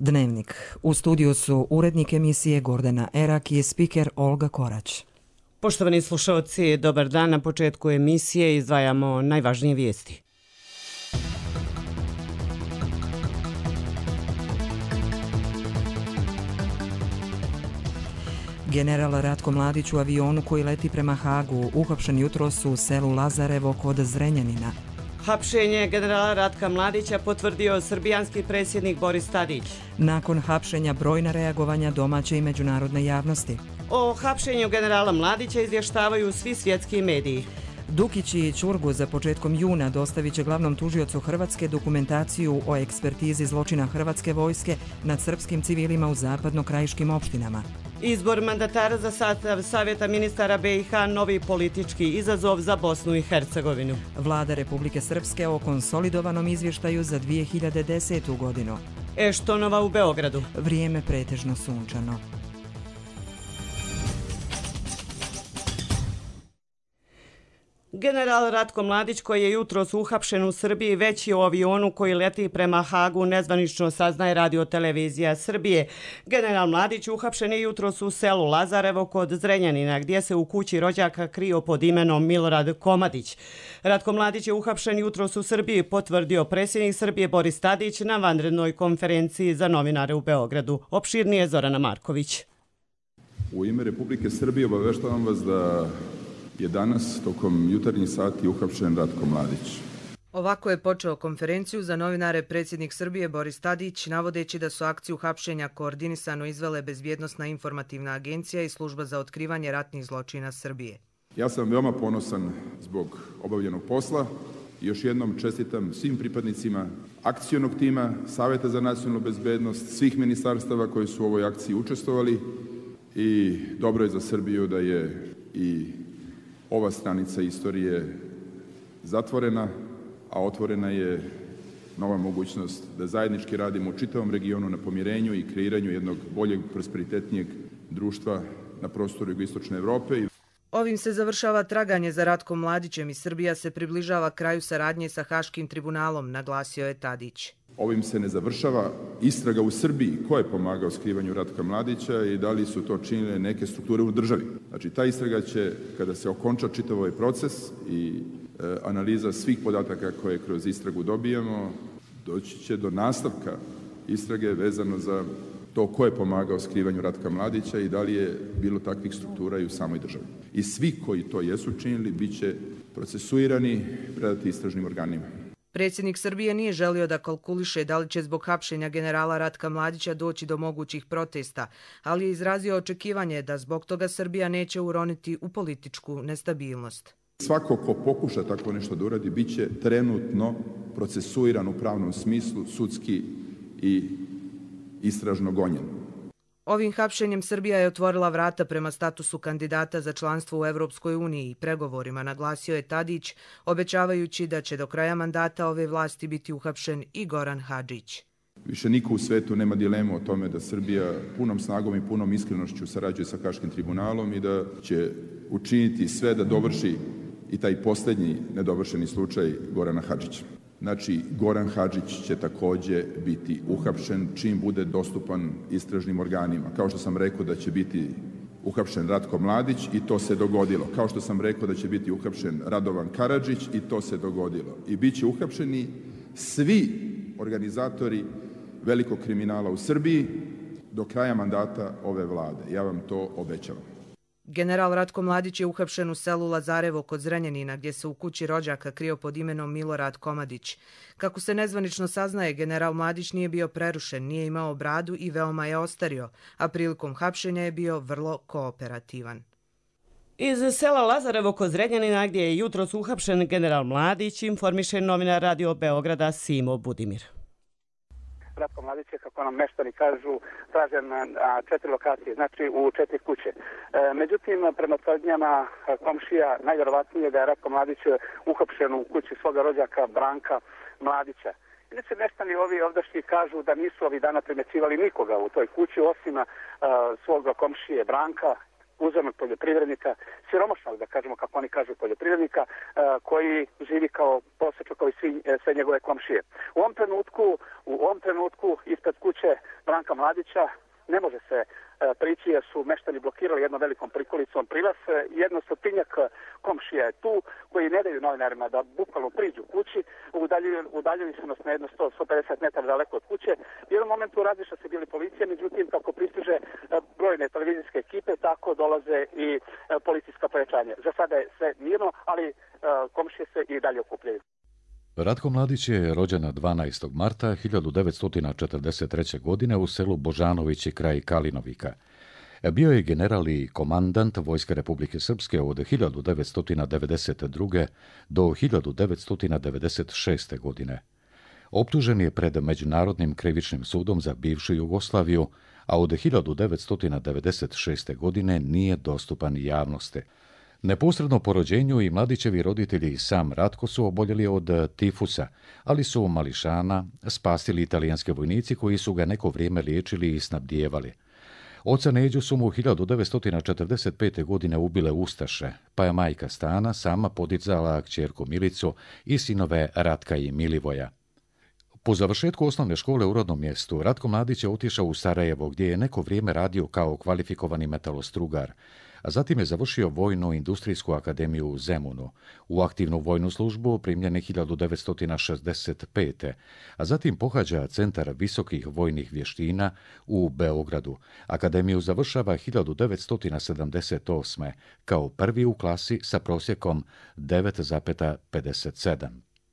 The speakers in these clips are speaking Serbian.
Dnevnik. U studiju su urednik emisije Gordana Erak i spiker Olga Korać. Poštovani slušalci, dobar dan. Na početku emisije izdvajamo najvažnije vijesti. General Ratko Mladić u avionu koji leti prema Hagu, uhapšen jutros u selu Lazarevo kod Zrenjanina. Hapšenje generala Ratka Mladića potvrdio srbijanski predsjednik Boris Tadić. Nakon hapšenja brojna reagovanja domaće i međunarodne javnosti. O hapšenju generala Mladića izvještavaju svi svjetski mediji. Dukić i Ćurgu za početkom juna dostavit će glavnom tužiocu Hrvatske dokumentaciju o ekspertizi zločina Hrvatske vojske nad srpskim civilima u zapadno-krajiškim opštinama. Izbor mandatara za sastav Savjeta ministara BiH, novi politički izazov za Bosnu i Hercegovinu. Vlada Republike Srpske o konsolidovanom izvještaju za 2010. godinu. Eštonova u Beogradu. Vrijeme pretežno sunčano. General Ratko Mladić, koji je jutros uhapšen u Srbiji, već je u avionu koji leti prema Hagu, nezvanično saznaje Radio-televizija Srbije. General Mladić uhapšen je jutros u selu Lazarevo kod Zrenjanina, gdje se u kući rođaka krio pod imenom Milorad Komadić. Ratko Mladić je uhapšen jutros u Srbiji, potvrdio predsjednik Srbije Boris Tadić na vanrednoj konferenciji za novinare u Beogradu. Opširnije Zorana Marković. U ime Republike Srbije obaveštavam vas da je danas tokom jutarnjih sati uhapšen Ratko Mladić. Ovako je počeo konferenciju za novinare predsjednik Srbije Boris Tadić, navodeći da su akciju hapšenja koordinisano izvele Bezbjednosna informativna agencija i Služba za otkrivanje ratnih zločina Srbije. Ja sam veoma ponosan zbog obavljenog posla i još jednom čestitam svim pripadnicima akcionog tima, Savjeta za nacionalnu bezbednost, svih ministarstava koji su u ovoj akciji učestvovali i dobro je za Srbiju da je i ova stranica istorije zatvorena, a otvorena je nova mogućnost da zajednički radimo u čitavom regionu na pomirenju i kreiranju jednog boljeg, prosperitetnijeg društva na prostoru jugoistočne Evrope. Ovim se završava traganje za Ratkom Mladićem i Srbija se približava kraju saradnje sa Haškim tribunalom, naglasio je Tadić. Ovim se ne završava istraga u Srbiji ko je pomagao skrivanju Ratka Mladića i da li su to činile neke strukture u državi. Znači, ta istraga će, kada se okonča čitav ovaj proces i analiza svih podataka koje kroz istragu dobijamo, doći će do nastavka istrage vezano za to ko je pomagao skrivanju Ratka Mladića i da li je bilo takvih struktura i u samoj državi. I svi koji to jesu činili bit će procesuirani, predati istražnim organima. Predsjednik Srbije nije želio da kalkuliše da li će zbog hapšenja generala Ratka Mladića doći do mogućih protesta, ali je izrazio očekivanje da zbog toga Srbija neće uroniti u političku nestabilnost. Svako ko pokuša tako nešto da uradi bit će trenutno procesuiran u pravnom smislu, sudski i istražno gonjen. Ovim hapšenjem Srbija je otvorila vrata prema statusu kandidata za članstvo u Evropskoj uniji i pregovorima, naglasio je Tadić, obećavajući da će do kraja mandata ove vlasti biti uhapšen i Goran Hadžić. Više niko u svetu nema dilemu o tome da Srbija punom snagom i punom iskrenošću sarađuje sa Haškim tribunalom i da će učiniti sve da dovrši i taj posljednji nedovršeni slučaj Gorana Hadžića. Znači, Goran Hadžić će također biti uhapšen čim bude dostupan istražnim organima. Kao što sam rekao da će biti uhapšen Ratko Mladić i to se dogodilo. Kao što sam rekao da će biti uhapšen Radovan Karadžić i to se dogodilo. I bit će uhapšeni svi organizatori velikog kriminala u Srbiji do kraja mandata ove vlade. Ja vam to obećavam. General Ratko Mladić je uhapšen u selu Lazarevo kod Zrenjanina, gdje se u kući rođaka krio pod imenom Milorad Komadić. Kako se nezvanično saznaje, general Mladić nije bio prerušen, nije imao bradu i veoma je ostario, a prilikom hapšenja je bio vrlo kooperativan. Iz sela Lazarevo kod Zrenjanina, gdje je jutros uhapšen general Mladić, informiše novinar Radio Beograda Simo Budimir. Ratko Mladić je, kako nam meštani kažu, tražen na 4 lokacije, znači u 4 kuće. Međutim, prema tvrdnjama komšija, najvjerovatnije da je Ratko Mladić uhapšen u kući svoga rođaka Branka Mladića. Inače, meštani ovi ovdašnji kažu da nisu ovih dana primećivali nikoga u toj kući, osim svoga komšije Branka, uzemnog poljoprivrednika, siromašnog, da kažemo kako oni kažu, poljoprivrednika, koji živi kao prosječno kao i sve njegove komšije. U ovom trenutku ispred kuće Branka Mladića ne može se prići jer su meštani blokirali jednom velikom prikolicom prilaz. Jedno stotinjak komšija je tu koji ne daju novinarima da bukvalno priđu kući, udaljili su nas na jedno 100-150 metara daleko od kuće. U jednom momentu razliša se bili policija, međutim kako pristiže brojne televizijske ekipe, tako dolaze i policijska pojačanja. Za sada je sve mirno, ali komšije se i dalje okupljaju. Ratko Mladić je rođen 12. marta 1943. godine u selu Božanovići kraj Kalinovika. Bio je general i komandant Vojske Republike Srpske od 1992. do 1996. godine. Optužen je pred Međunarodnim krivičnim sudom za bivšu Jugoslaviju, a od 1996. godine nije dostupan javnosti. Neposredno po rođenju i Mladićevi roditelji i sam Ratko su oboljeli od tifusa, ali su mališana spasili italijanski vojnici koji su ga neko vrijeme liječili i snabdijevali. Oca Neđu su mu 1945. godine ubile ustaše, pa je majka Stana sama podizala kćerku Milicu i sinove Ratka i Milivoja. Po završetku osnovne škole u rodnom mjestu, Ratko Mladić je otišao u Sarajevo, gdje je neko vrijeme radio kao kvalifikovani metalostrugar, a zatim je završio Vojnu industrijsku akademiju u Zemunu. U aktivnu vojnu službu primljen je 1965. a zatim pohađa Centar visokih vojnih vještina u Beogradu. Akademiju završava 1978. kao prvi u klasi sa prosjekom 9,57.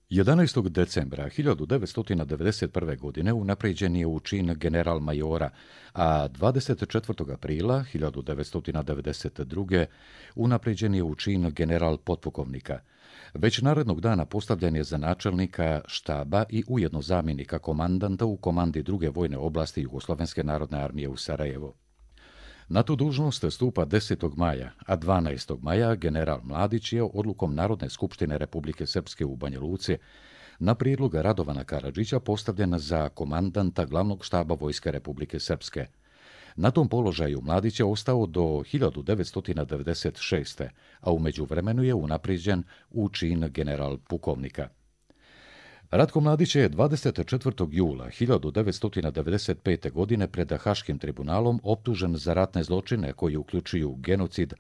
11. decembra 1991. godine unaprijeđen je u čin general majora, a 24. aprila 1992. unaprijeđen je u čin general potpukovnika. Već narednog dana postavljen je za načelnika štaba i ujedno zamjenika komandanta u komandi druge vojne oblasti Jugoslovenske narodne armije u Sarajevu. Na tu dužnost stupa 10. maja, a 12. maja general Mladić je odlukom Narodne skupštine Republike Srpske u Banja Luci na prijedlog Radovana Karadžića postavljen za komandanta glavnog štaba Vojske Republike Srpske. Na tom položaju Mladić je ostao do 1996. a u međuvremenu je unaprijeđen u čin general pukovnika. Ratko Mladić je 24. jula 1995. godine pred Haškim tribunalom optužen za ratne zločine koji uključuju genocid,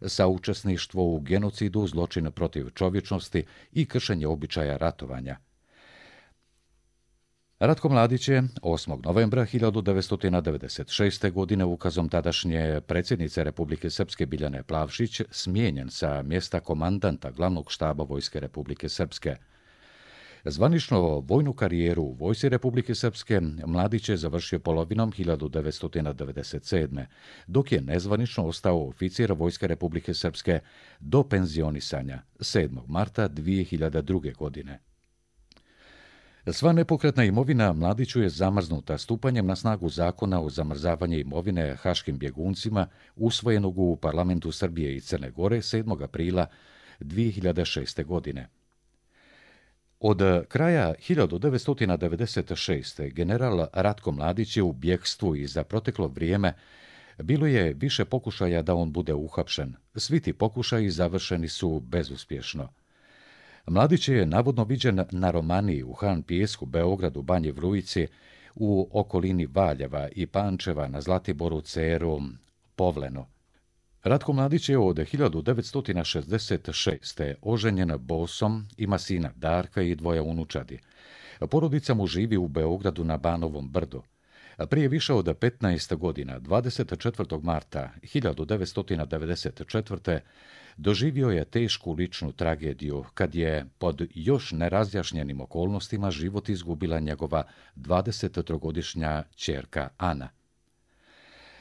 saučesništvo u genocidu, zločine protiv čovječnosti i kršenje običaja ratovanja. Ratko Mladić je 8. novembra 1996. godine ukazom tadašnje predsjednice Republike Srpske Biljane Plavšić smijenjen sa mjesta komandanta glavnog štaba Vojske Republike Srpske. Zvanično vojnu karijeru u Vojsci Republike Srpske Mladić je završio polovinom 1997. dok je nezvanično ostao oficir Vojske Republike Srpske do penzionisanja 7. marta 2002. godine. Sva nepokretna imovina Mladiću je zamrznuta stupanjem na snagu zakona o zamrzavanju imovine haškim bjeguncima usvojenog u Parlamentu Srbije i Crne Gore 7. aprila 2006. godine. Od kraja 1996. general Ratko Mladić je u bjegstvu i za proteklo vrijeme bilo je više pokušaja da on bude uhapšen. Svi ti pokušaji završeni su bezuspješno. Mladić je navodno viđen na Romaniji u Han Pijesku, Beogradu, Banji Vrujici, u okolini Valjeva i Pančeva, na Zlatiboru, Ceru, Povlenu. Ratko Mladić je od 1966. oženjen Bosom, ima sina Darka i 2 unučadi. Porodica mu živi u Beogradu na Banovom brdu. Prije više od 15 godina, 24. marta 1994. doživio je tešku ličnu tragediju kad je pod još nerazjašnjenim okolnostima život izgubila njegova 23-godišnja ćerka Ana.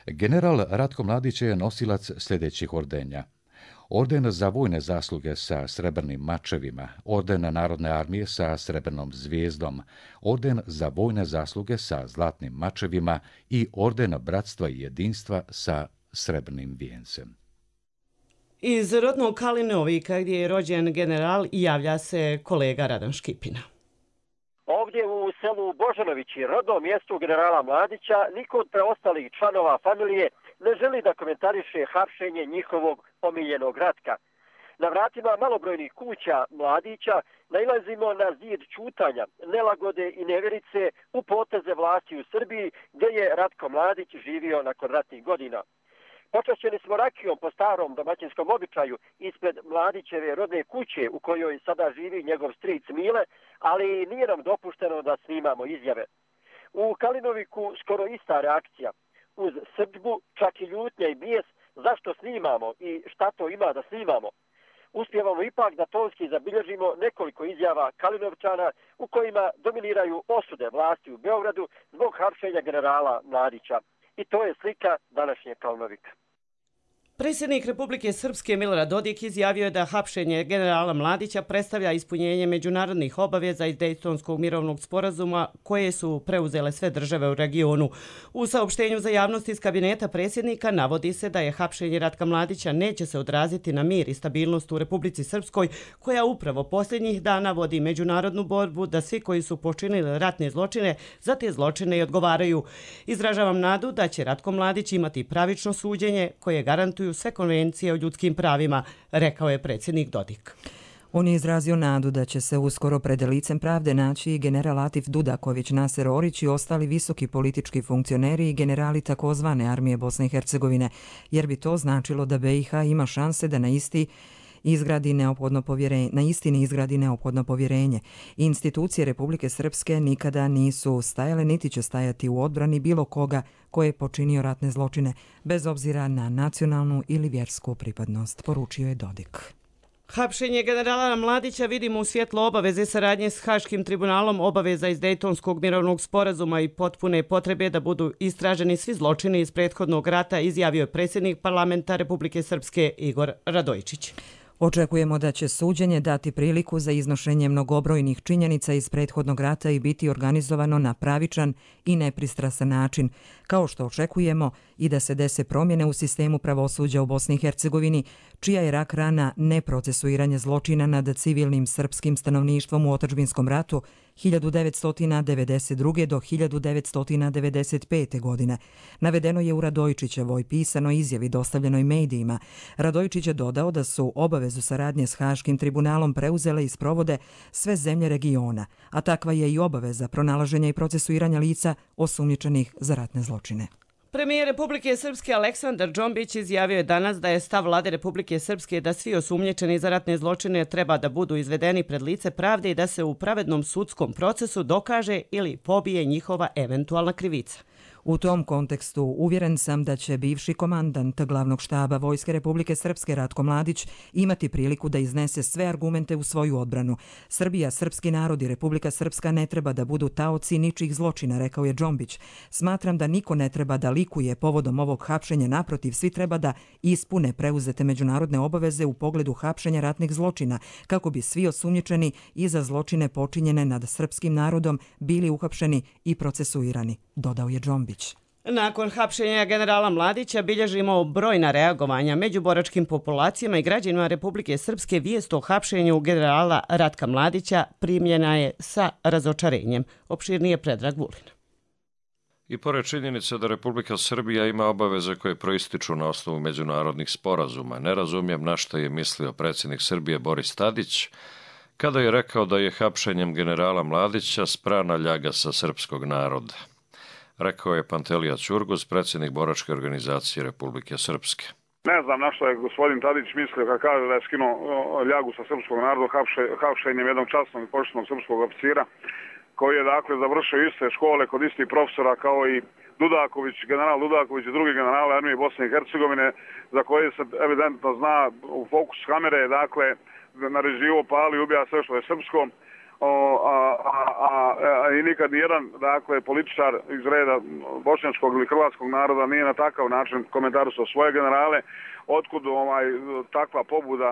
General Ratko Mladić je nosilac sljedećih ordenja: Orden za vojne zasluge sa srebrnim mačevima, Orden Narodne armije sa srebrnom zvijezdom, Orden za vojne zasluge sa zlatnim mačevima i Orden bratstva i jedinstva sa srebrnim vijencem. Iz rodnog Kalinovika, gdje je rođen general, javlja se kolega Radan Škipina. Ovdje u selu Božanovići, rodnom mjestu generala Mladića, niko od preostalih članova familije ne želi da komentariše hapšenje njihovog omiljenog Ratka. Na vratima malobrojnih kuća mladića nailazimo na zid ćutanja, nelagode i nevjerice u poteze vlasti u Srbiji gdje je Ratko Mladić živio nakon ratnih godina. Počašćeni smo rakijom po starom domaćinskom običaju ispred Mladićeve rodne kuće u kojoj sada živi njegov stric Mile, ali nije nam dopušteno da snimamo izjave. U Kalinoviku skoro ista reakcija. Uz srdbu, čak i ljutnja i bijes, zašto snimamo i šta to ima da snimamo. Uspijevamo ipak da tonski zabilježimo nekoliko izjava Kalinovčana u kojima dominiraju osude vlasti u Beogradu zbog hapšenja generala Mladića. I to je slika današnje Kalinovika. Predsjednik Republike Srpske Milorad Dodik izjavio je da hapšenje generala Mladića predstavlja ispunjenje međunarodnih obaveza iz Dejtonskog mirovnog sporazuma koje su preuzele sve države u regionu. U saopštenju za javnost iz kabineta predsjednika navodi se da je hapšenje Ratka Mladića neće se odraziti na mir i stabilnost u Republici Srpskoj, koja upravo posljednjih dana vodi međunarodnu borbu da svi koji su počinili ratne zločine za te zločine i odgovaraju. Izražavam nadu da će Ratko Mladić imati pravično suđenje koje garantuju sve konvencije o ljudskim pravima, rekao je predsjednik Dodik. On je izrazio nadu da će se uskoro pred licem pravde naći i general Atif Dudaković, Naser Orić i ostali visoki politički funkcioneri i generali takozvane armije Bosne i Hercegovine, jer bi to značilo da BiH ima šanse da na istini izgradi neophodno povjerenje. Institucije Republike Srpske nikada nisu stajale niti će stajati u odbrani bilo koga ko je počinio ratne zločine, bez obzira na nacionalnu ili vjersku pripadnost, poručio je Dodik. Hapšenje generala Mladića vidimo u svjetlo obaveze saradnje s Haškim tribunalom, obaveza iz Dejtonskog mirovnog sporazuma i potpune potrebe da budu istraženi svi zločini iz prethodnog rata, izjavio je predsjednik parlamenta Republike Srpske Igor Radojičić. Očekujemo da će suđenje dati priliku za iznošenje mnogobrojnih činjenica iz prethodnog rata i biti organizovano na pravičan i nepristrasan način, kao što očekujemo i da se dese promjene u sistemu pravosuđa u Bosni i Hercegovini, čija je rak rana neprocesuiranje zločina nad civilnim srpskim stanovništvom u otadžbinskom ratu 1992. do 1995. godine. Navedeno je u Radojičićevoj pisanoj izjavi dostavljenoj medijima. Radojičić je dodao da su obavezu saradnje s Haškim tribunalom preuzele i sprovode sve zemlje regiona, a takva je i obaveza pronalaženja i procesuiranja lica osumnjičenih za ratne zločine. Premijer Republike Srpske Aleksandar Džombić izjavio je danas da je stav vlade Republike Srpske da svi osumnjičeni za ratne zločine treba da budu izvedeni pred lice pravde i da se u pravednom sudskom procesu dokaže ili pobije njihova eventualna krivica. U tom kontekstu uvjeren sam da će bivši komandant glavnog štaba Vojske Republike Srpske Ratko Mladić imati priliku da iznese sve argumente u svoju odbranu. Srbija, srpski narod i Republika Srpska ne treba da budu taoci ničih zločina, rekao je Džombić. Smatram da niko ne treba da likuje povodom ovog hapšenja, naprotiv, svi treba da ispune preuzete međunarodne obaveze u pogledu hapšenja ratnih zločina, kako bi svi osumnjičeni i za zločine počinjene nad srpskim narodom bili uhapšeni i procesuirani, dodao je Džombić. Nakon hapšenja generala Mladića bilježimo brojna reagovanja među boračkim populacijama i građanima Republike Srpske. Vijest o hapšenju generala Ratka Mladića primljena je sa razočarenjem. Opširnije Predrag Vulin. I pored činjenice da Republika Srbija ima obaveze koje proističu na osnovu međunarodnih sporazuma, ne razumijem na što je mislio predsjednik Srbije Boris Tadić kada je rekao da je hapšenjem generala Mladića sprana ljaga sa srpskog naroda. Rekao je Pantelija Ćurgus, predsjednik boračke organizacije Republike Srpske. Ne znam na što je gospodin Tadić mislio kad kaže da je skinuo ljagu sa srpskog naroda hapšenjem jednog časnog i poštenog srpskog oficira, koji je dakle završio iste škole kod istih profesora kao i Dudaković, general Dudaković i drugi generali armije Bosne i Hercegovine, za koje se evidentno zna u fokus kamere, dakle naređivo, pali, ubija sve što je srpsko. I nikad nijedan dakle, političar iz reda bošnjačkog ili hrvatskog naroda nije na takav način komentarisao svoje generale. Otkud takva pobuda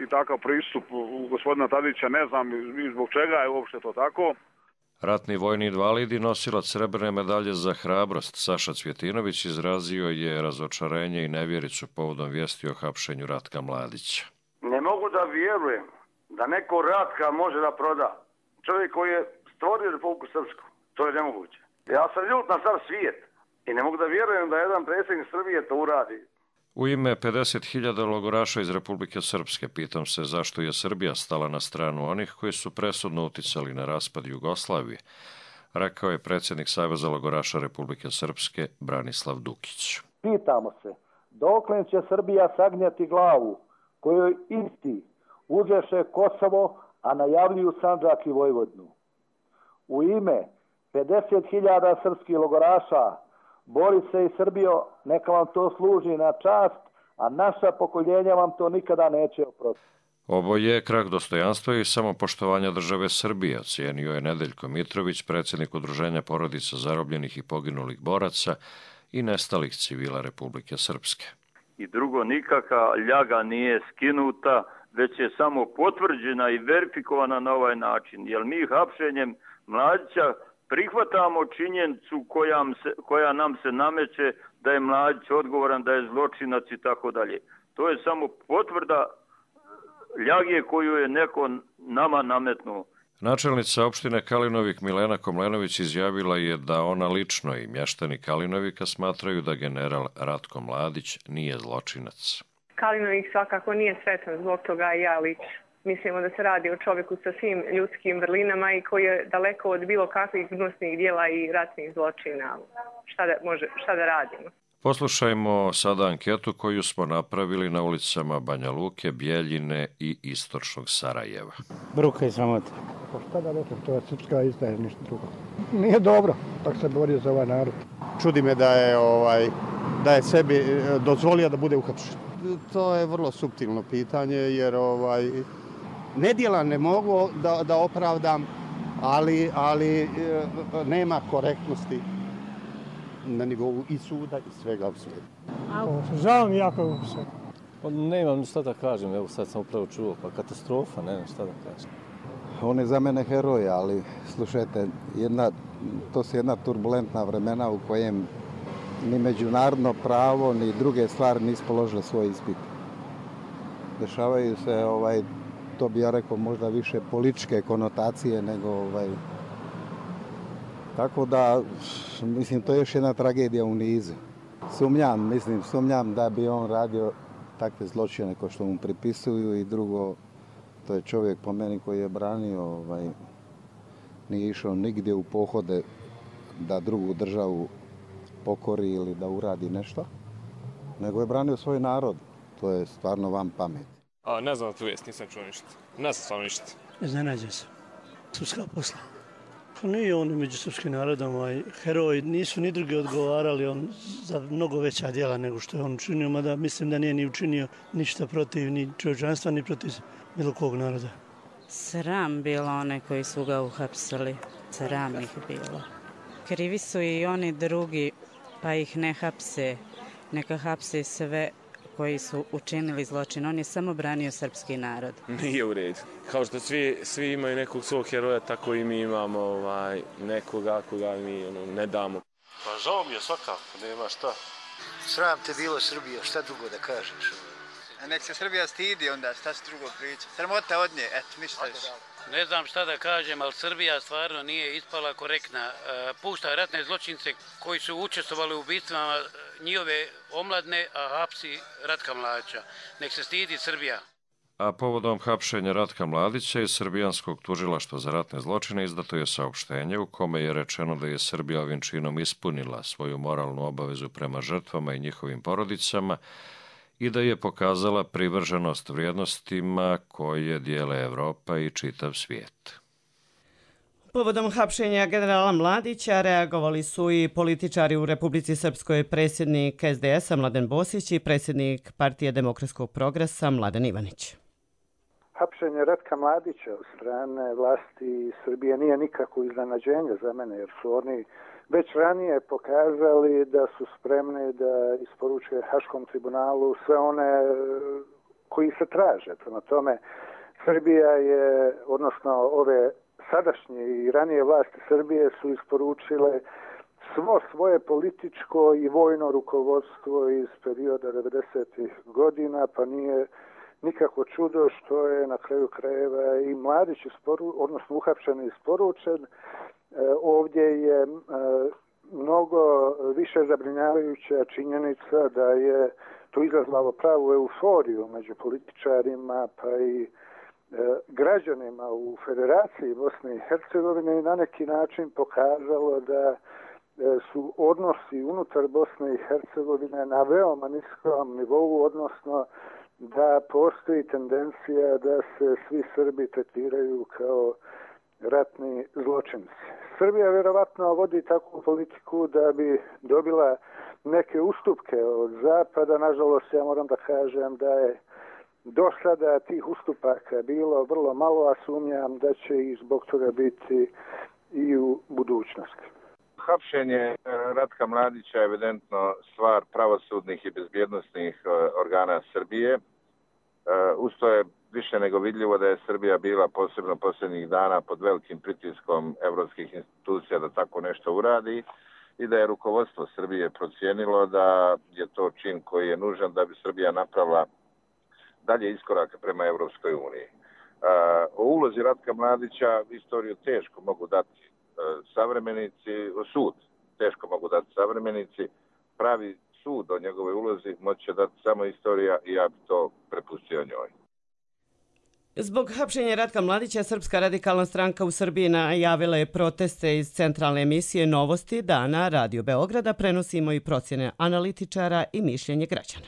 i takav pristup gospodina Tadića, ne znam i zbog čega je uopšte to tako. Ratni vojni invalid i nosilac srebrne medalje za hrabrost Saša Cvjetinović izrazio je razočarenje i nevjericu povodom vijesti o hapšenju Ratka Mladića. Ne mogu da vjerujem da neko Ratka može da proda. Čovjek koji je stvorio Republiku Srpsku. To je nemoguće. Ja sam ljut na sav svijet. I ne mogu da vjerujem da jedan predsjednik Srbije to uradi. U ime 50.000 logoraša iz Republike Srpske pitam se zašto je Srbija stala na stranu onih koji su presudno uticali na raspad Jugoslavije, rekao je predsjednik Saveza logoraša Republike Srpske Branislav Dukić. Pitamo se, dokle će Srbija sagnjati glavu kojoj isti uzreše Kosovo, a najavljuju Sandžak i Vojvodinu. U ime 50.000 srpskih logoraša bori se i Srbijo, neka vam to služi na čast, a naša pokoljenja vam to nikada neće oprostiti. Ovo je krah dostojanstva i samopoštovanja države Srbije, ocijenio je Nedeljko Mitrović, predsjednik Udruženja porodica zarobljenih i poginulih boraca i nestalih civila Republike Srpske. I drugo, nikakva ljaga nije skinuta, već je samo potvrđena i verifikovana na ovaj način, jer mi hapšenjem Mladića prihvatamo činjenicu koja nam se nameće da je Mladić odgovoran, da je zločinac i tako dalje. To je samo potvrda ljage koju je neko nama nametnuo. Načelnica opštine Kalinovik Milena Komlenović izjavila je da ona lično i mještani Kalinovika smatraju da general Ratko Mladić nije zločinac. Kalinovik svakako nije sretan zbog toga i ja lično. Mislimo da se radi o čovjeku sa svim ljudskim vrlinama i koji je daleko od bilo kakvih gnusnih dijela i ratnih zločina. Šta da radimo? Poslušajmo sada anketu koju smo napravili na ulicama Banja Luke, Bjeljine i istočnog Sarajeva. Bruka i sramota. Pa šta da rekam, to je srpska izdaja, ništa drugo. Nije dobro, tako se borio za ovaj narod. Čudi me da je sebi dozvolio da bude uhapšen. To je vrlo suptilno pitanje, jer nedjela ne mogu da opravdam, ali nema korektnosti na nivou i suda i svega u svijetu. Žao mi jako se. Nemam šta da kažem, evo sad sam upravo čuo, pa katastrofa, ne znam šta da kažem. On je za mene heroj, ali slušajte, to su jedna turbulentna vremena u kojem ni međunarodno pravo, ni druge stvari nisu položile svoj ispit. Dešavaju se, to bi ja rekao, možda više političke konotacije nego Tako da, mislim, to je još jedna tragedija u nizu. Sumnjam da bi on radio takve zločine kao što mu pripisuju i drugo, to je čovjek po meni koji je branio, nije išao nigdje u pohode da drugu državu pokori ili da uradi nešto, nego je branio svoj narod. To je stvarno van pameti. Ne znam tu vijest, nisam čuo ništa. Ne znam stvarno ništa. Iznenađen sam. Srpska posla. Pa nije on među srpskim narodom heroj, nisu ni drugi odgovarali za mnogo veća djela nego što je on učinio, mada mislim da nije ni učinio ništa protiv ni čovječanstva, ni protiv bilo kog naroda. Sram bilo one koji su ga uhapsili, sram ih bilo. Krivi su i oni drugi, pa ih ne hapse, neka hapse sve koji su učinili zločin. On je samo branio srpski narod. Nije u redu. Kao što svi imaju nekog svog heroja, tako i mi imamo nekoga koga mi ne damo. Pa žao mi je svakako, nema šta. Sram te bilo Srbija, šta drugo da kažeš? A nek se Srbija stidi onda, šta se drugo priča. Sramota od nje, eto, ništa više. Ne znam šta da kažem, ali Srbija stvarno nije ispala korektna. Pušta ratne zločince koji su učestvovali u ubistvama njihove omladne, a hapsi Ratka Mladića. Nek se stidi Srbija. A povodom hapšenja Ratka Mladića iz Srbijanskog tužilaštva za ratne zločine izdato je saopštenje u kome je rečeno da je Srbija ovim činom ispunila svoju moralnu obavezu prema žrtvama i njihovim porodicama i da je pokazala privrženost vrijednostima koje dijele Evropa i čitav svijet. Povodom hapšenja generala Mladića reagovali su i političari u Republici Srpskoj, predsjednik SDS-a Mladen Bosić i predsjednik Partije demokratskog progresa Mladen Ivanić. Hapšenje Ratka Mladića od strane vlasti Srbije nije nikako iznenađenje za mene, jer su oni već ranije pokazali da su spremni da isporuče Haškom tribunalu sve one koji se traže. Prema tome, Srbija je, odnosno ove sadašnje i ranije vlasti Srbije su isporučile svo svoje političko i vojno rukovodstvo iz perioda 90. godina, pa nije nikako čudo što je na kraju krajeva i Mladić uhapšen i isporučen. Ovdje je mnogo više zabrinjavajuća činjenica da je to izazvalo pravu euforiju među političarima pa i građanima u Federaciji Bosne i Hercegovine i na neki način pokazalo da su odnosi unutar Bosne i Hercegovine na veoma niskom nivou, odnosno da postoji tendencija da se svi Srbi tretiraju kao ratni zločinci. Srbija vjerovatno vodi takvu politiku da bi dobila neke ustupke od Zapada. Nažalost, ja moram da kažem da je do sada tih ustupaka bilo vrlo malo, a sumnjam da će i zbog toga biti i u budućnosti. Hapšenje Ratka Mladića je evidentno stvar pravosudnih i bezbjednosnih organa Srbije. Usto je više nego vidljivo da je Srbija bila posebno posljednjih dana pod velikim pritiskom evropskih institucija da tako nešto uradi i da je rukovodstvo Srbije procijenilo da je to čin koji je nužan da bi Srbija napravila dalje iskorake prema Evropskoj uniji. O ulozi Ratka Mladića istoriju teško mogu dati savremenici, sud teško mogu dati savremenici, pravi sud o njegovoj ulozi moće dati samo istorija i ja bi to prepustio njoj. Zbog hapšenja Ratka Mladića, Srpska radikalna stranka u Srbiji najavila je proteste iz centralne emisije Novosti dana Radio Beograda. Prenosimo i procjene analitičara i mišljenje građana.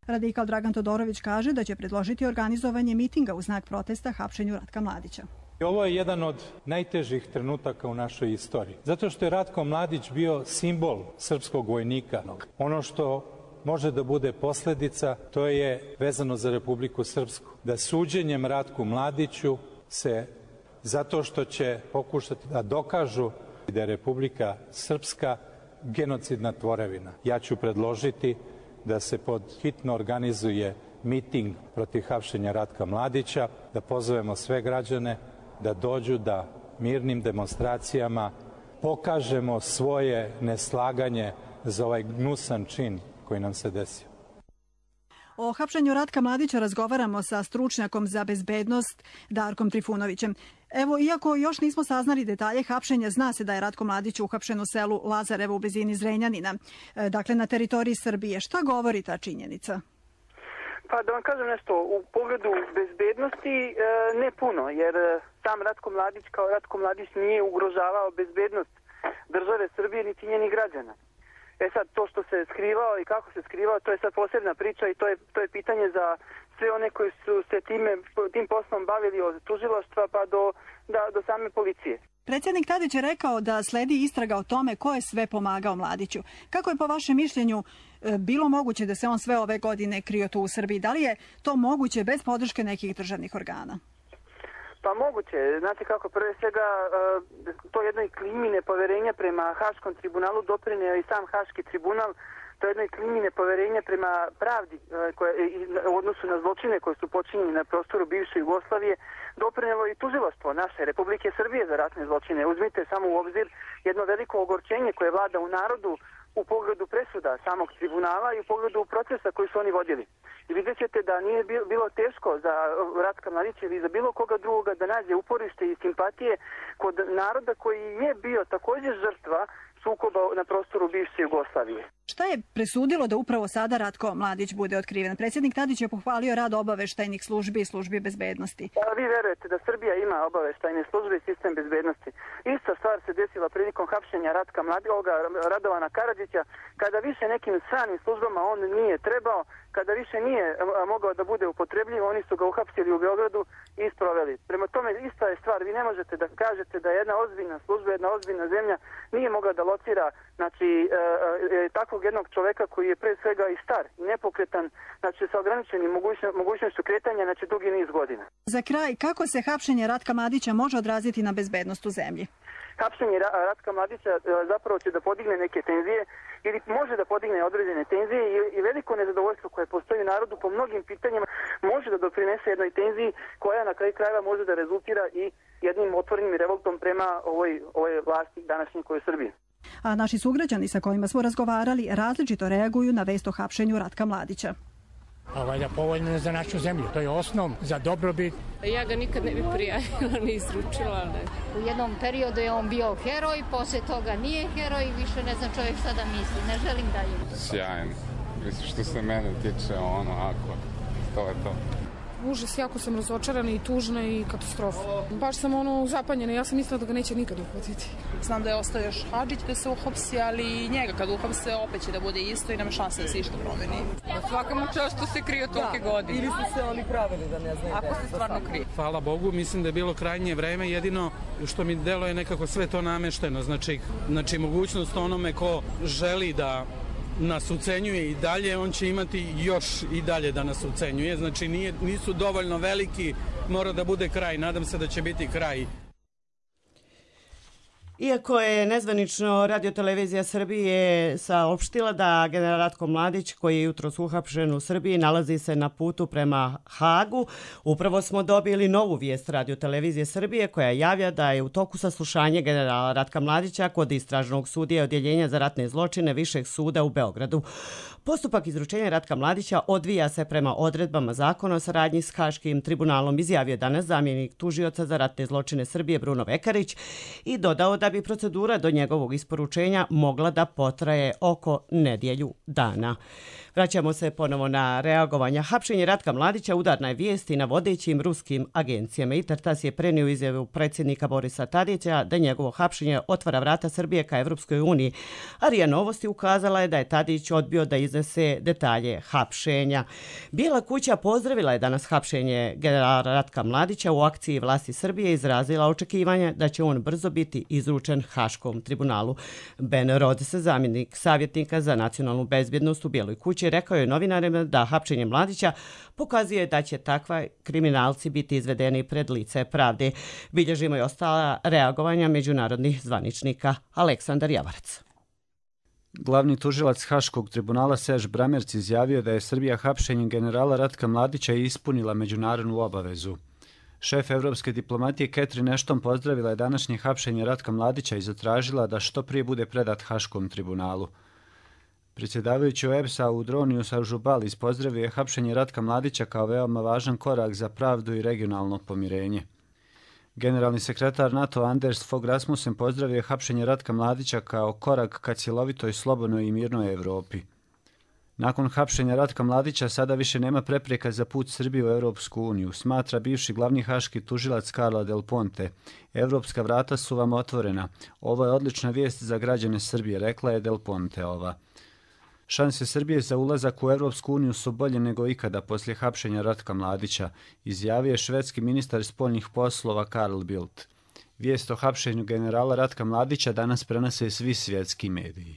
Radikal Dragan Todorović kaže da će predložiti organizovanje mitinga u znak protesta hapšenju Ratka Mladića. Ovo je jedan od najtežih trenutaka u našoj istoriji. Zato što je Ratko Mladić bio simbol srpskog vojnika. Ono što može da bude posljedica, to je vezano za Republiku Srpsku. Da suđenjem Ratku Mladiću se, zato što će pokušati da dokažu da je Republika Srpska genocidna tvorevina. Ja ću predložiti da se pod hitno organizuje miting protiv hapšenja Ratka Mladića, da pozovemo sve građane da dođu da mirnim demonstracijama pokažemo svoje neslaganje za ovaj gnusan čin koji nam se desio. O hapšenju Ratka Mladića razgovaramo sa stručnjakom za bezbednost Darkom Trifunovićem. Evo, iako još nismo saznali detalje hapšenja, zna se da je Ratko Mladić uhapšen u selu Lazarevo u blizini Zrenjanina, dakle na teritoriji Srbije. Šta govori ta činjenica? Pa da vam kažem nešto, u pogledu bezbednosti ne puno, jer sam Ratko Mladić kao Ratko Mladić nije ugrožavao bezbednost države Srbije niti njenih građana. Sad, to što se skrivao i kako se skrivao, to je sad posebna priča i to je pitanje za sve one koji su se tim poslom bavili od tužilaštva pa do same policije. Predsjednik Tadić je rekao da sledi istraga o tome ko je sve pomagao Mladiću. Kako je po vašem mišljenju bilo moguće da se on sve ove godine krio tu u Srbiji? Da li je to moguće bez podrške nekih državnih organa? Pa moguće. Znate kako, prve svega to jednoj klimi nepoverenja prema Haškom tribunalu doprineo i sam Haški tribunal, to jednoj klimi nepoverenja prema pravdi u odnosu na zločine koje su počinjeni na prostoru bivše Jugoslavije, doprinelo i tužilaštvo naše Republike Srbije za ratne zločine. Uzmite samo u obzir jedno veliko ogorčenje koje vlada u narodu u pogledu presuda samog tribunala i u pogledu procesa koji su oni vodili. I vidjet ćete da nije bilo teško za Ratka Mladića ili za bilo koga drugoga da nađe uporište i simpatije kod naroda koji je bio također žrtva sukoba na prostoru bivše Jugoslavije. Šta je presudilo da upravo sada Ratko Mladić bude otkriven? Predsjednik Tadić je pohvalio rad obaveštajnih službi i službi bezbednosti. Vi verujete da Srbija ima obaveštajne službe i sistem bezbednosti. Ista stvar se desila prilikom hapšenja Ratka Mladića, Radovana Karadžića, kada više nekim stranim službama on nije trebao, kada više nije mogao da bude upotrebljiv, oni su ga uhapsili u Beogradu i sproveli. Prema tome, ista je stvar. Vi ne možete da kažete da jedna ozbiljna služba, jedna ozbiljna zemlja nije mogla da locira, znači, takvog jednog čoveka koji je pre svega i star i nepokretan, znači sa ograničenim mogućnošću kretanja, znači dugi niz godina. Za kraj, kako se hapšenje Ratka Mladića može odraziti na bezbednost u zemlji? Hapšenje Ratka Mladića zapravo će da podigne neke tenzije ili može da podigne određene tenzije i veliko nezadovoljstvo koje postoji u narodu po mnogim pitanjima može da doprinese jednoj tenziji koja na kraju krajeva može da rezultira i jednim otvorenim revoltom prema ovoj vlasti današnjoj koje je Srbije. A naši sugrađani sa kojima smo razgovarali različito reaguju na vest o hapšenju Ratka Mladića. A valjda povoljno je za našu zemlju, to je osnov za dobrobit. Ja ga nikad ne bi prijavila, ni izručila. Ne. U jednom periodu je on bio heroj, posle toga nije heroj, više ne znam čovjek šta da misli, ne želim da je. Sjajan, mislim što se mene tiče, to je to. Užas, jako sam razočarana i tužna i katastrofa. Baš sam zapanjena, ja sam mislila da ga neće nikad uhvatiti. Znam da je ostao još Hadžić da se uhapsi, ali njega kad uhapse opet će da bude isto i nema šanse da se išta promeni. Svaka mu čast što se krije tolike godine. Ili su se oni pravili da ne znaju. Ako se stvarno krije. Hvala Bogu, mislim da je bilo krajnje vreme, jedino što mi delo je nekako sve to namešteno. Znači mogućnost onome ko želi da nas ucenjuje i dalje, on će imati još i dalje da nas ucenjuje. Znači nisu dovoljno veliki, mora da bude kraj. Nadam se da će biti kraj. Iako je nezvanično Radiotelevizija Srbije saopštila da general Ratko Mladić, koji je jutros uhapšen u Srbiji, nalazi se na putu prema Hagu, upravo smo dobili novu vijest Radiotelevizije Srbije koja javlja da je u toku saslušanje generala Ratka Mladića kod istražnog sudije Odjeljenja za ratne zločine Višeg suda u Beogradu. Postupak izručenja Ratka Mladića odvija se prema odredbama zakona o saradnji s Haškim tribunalom, izjavio danas zamjenik tužioca za ratne zločine Srbije Bruno Vekarić i dodao da bi procedura do njegovog isporučenja mogla da potraje oko nedjelju dana. Vraćamo se ponovo na reagovanja. Hapšenje Ratka Mladića udarna je vijest i na vodećim ruskim agencijama. Intertas je prenio izjavu predsjednika Borisa Tadića da njegovo hapšenje otvara vrata Srbije ka Evropskoj uniji. A RIA Novosti ukazala je da je Tadić odbio da iznese detalje hapšenja. Bijela kuća pozdravila je danas hapšenje generala Ratka Mladića. U akciji vlasti Srbije izrazila očekivanje da će on brzo biti izručen Haškom tribunalu. Ben Rhodes, zamjenik savjetnika za nacionalnu bezbjednost u Bijeloj kući, rekao je novinarima da hapšenje Mladića pokazuje da će takva kriminalci biti izvedeni pred lice pravde. Bilježimo i ostala reagovanja međunarodnih zvaničnika. Aleksandar Javarac. Glavni tužilac Haškog tribunala Serž Bramerc izjavio da je Srbija hapšenjem generala Ratka Mladića ispunila međunarodnu obavezu. Šef evropske diplomatije Catherine Ashton pozdravila je današnje hapšenje Ratka Mladića i zatražila da što prije bude predat Haškom tribunalu. Predsjedavajući OEBS-a Audronius Ažubalis pozdravio je hapšenje Ratka Mladića kao veoma važan korak za pravdu i regionalno pomirenje. Generalni sekretar NATO Anders Fogh Rasmussen pozdravio je hapšenje Ratka Mladića kao korak ka cjelovitoj, slobodnoj i mirnoj Evropi. Nakon hapšenja Ratka Mladića sada više nema prepreka za put Srbije u Europsku uniju, smatra bivši glavni haški tužilac Carla Del Ponte. Evropska vrata su vam otvorena. Ovo je odlična vijest za građane Srbije, rekla je Del Ponteova. Šanse Srbije za ulazak u Evropsku uniju su bolje nego ikada poslije hapšenja Ratka Mladića, izjavio je švedski ministar spoljnih poslova Carl Bildt. Vijest o hapšenju generala Ratka Mladića danas prenose svi svjetski mediji.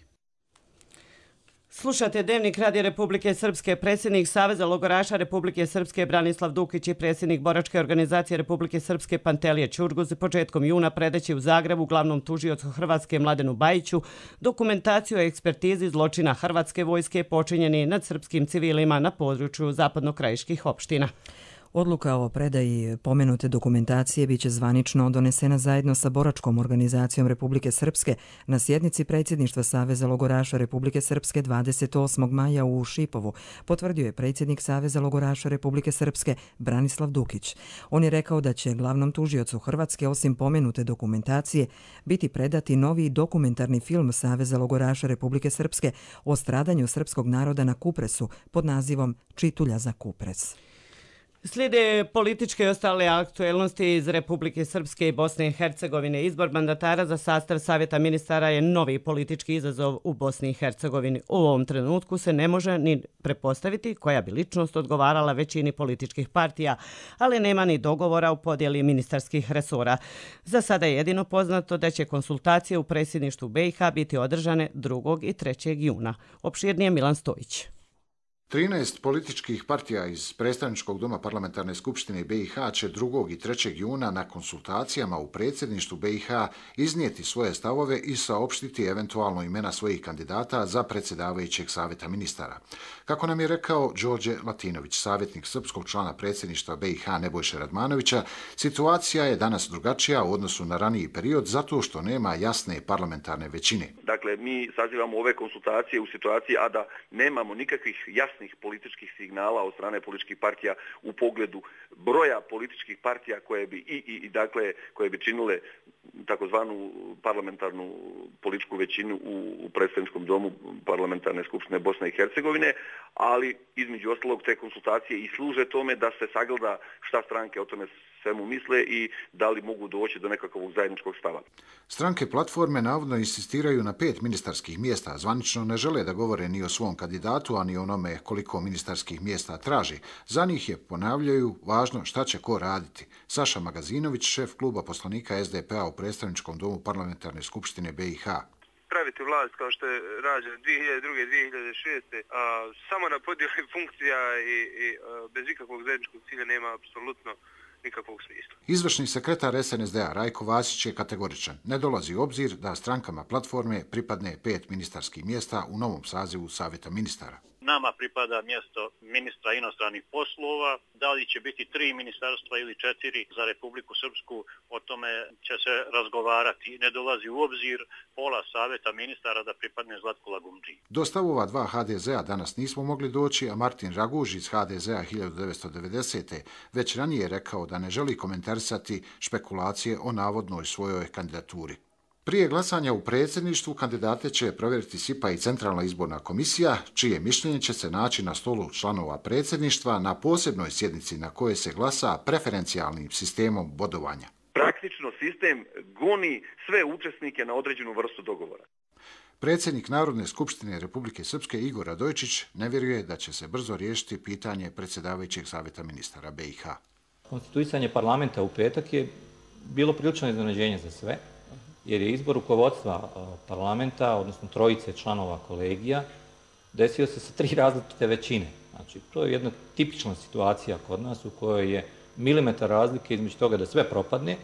Slušate Dnevnik Radija Republike Srpske. Predsjednik Saveza logoraša Republike Srpske Branislav Dukić i predsjednik Boračke organizacije Republike Srpske Pantelija Ćurguz početkom juna predaće u Zagrebu glavnom tužiocu Hrvatske Mladenu Bajiću dokumentaciju o ekspertizi zločina Hrvatske vojske počinjeni nad srpskim civilima na području zapadnokrajiških opština. Odluka o predaji pomenute dokumentacije biće zvanično donesena zajedno sa Boračkom organizacijom Republike Srpske na sjednici predsjedništva Saveza logoraša Republike Srpske 28. maja u Šipovu, potvrdio je predsjednik Saveza logoraša Republike Srpske Branislav Dukić. On je rekao da će glavnom tužiocu Hrvatske osim pomenute dokumentacije biti predati novi dokumentarni film Saveza logoraša Republike Srpske o stradanju srpskog naroda na Kupresu pod nazivom Čitulja za Kupres. Slijede političke i ostale aktuelnosti iz Republike Srpske i Bosne i Hercegovine. Izbor mandatara za sastav Savjeta ministara je novi politički izazov u Bosni i Hercegovini. U ovom trenutku se ne može ni prepostaviti koja bi ličnost odgovarala većini političkih partija, ali nema ni dogovora u podjeli ministarskih resora. Za sada je jedino poznato da će konsultacije u predsjedništvu BiH biti održane 2. i 3. juna. Opširnije Milan Stojić. 13 političkih partija iz predstavničkog doma parlamentarne skupštine BiH će 2. i 3. juna na konsultacijama u predsjedništvu BiH iznijeti svoje stavove i saopštiti eventualno imena svojih kandidata za predsjedavajućeg savjeta ministara. Kako nam je rekao Đorđe Latinović, savjetnik srpskog člana predsjedništva BiH Nebojše Radmanovića, situacija je danas drugačija u odnosu na raniji period zato što nema jasne parlamentarne većine. Dakle, mi sazivamo ove konsultacije u situaciji, a da nemamo nikakvih jasnih jasnih političkih signala od strane političkih partija u pogledu broja političkih partija koje bi činile takozvanu parlamentarnu političku većinu u predstavničkom domu parlamentarne skupštine Bosne i Hercegovine, ali između ostalog te konsultacije i služe tome da se sagleda šta stranke o tome svemu misle i da li mogu doći do nekakvog zajedničkog stava. Stranke platforme navodno insistiraju na 5 ministarskih mjesta. Zvanično ne žele da govore ni o svom kandidatu, a ni onome koliko ministarskih mjesta traži. Za njih je, ponavljaju, važno šta će ko raditi. Saša Magazinović, šef kluba poslanika SDP-a u predstavničkom domu parlamentarne skupštine BiH. Praviti vlast kao što je rađeno 2002. 2006. Samo na podjeli funkcija i bez ikakvog zajedničkog cilja nema apsolutno nikakvog smisla. Izvršni sekretar SNSD-a Rajko Vasić je kategoričan. Ne dolazi u obzir da strankama platforme pripadne 5 ministarskih mjesta u novom sazivu Savjeta ministara. Nama pripada mjesto ministra inostranih poslova. Da li će biti 3 ministarstva ili 4 za Republiku Srpsku, o tome će se razgovarati. Ne dolazi u obzir pola Savjeta ministara da pripadne Zlatku Lagumdži. Do stavova 2 HDZ-a danas nismo mogli doći, a Martin Raguž iz HDZ-a 1990. već ranije rekao da ne želi komentarisati špekulacije o navodnoj svojoj kandidaturi. Prije glasanja u predsjedništvu kandidate će provjeriti SIPA i Centralna izborna komisija, čije mišljenje će se naći na stolu članova predsjedništva na posebnoj sjednici na kojoj se glasa preferencijalnim sistemom bodovanja. Praktično sistem goni sve učesnike na određenu vrstu dogovora. Predsjednik Narodne skupštine Republike Srpske Igor Radojčić ne vjeruje da će se brzo riješiti pitanje predsjedavajućeg savjeta ministara BiH. Konstituisanje parlamenta u petak je bilo prilično iznenađenje za sve, jer je izbor rukovodstva parlamenta, odnosno 3 članova kolegija, desio se sa 3 različite većine. Znači, to je jedna tipična situacija kod nas u kojoj je milimetar razlike između toga da sve propadne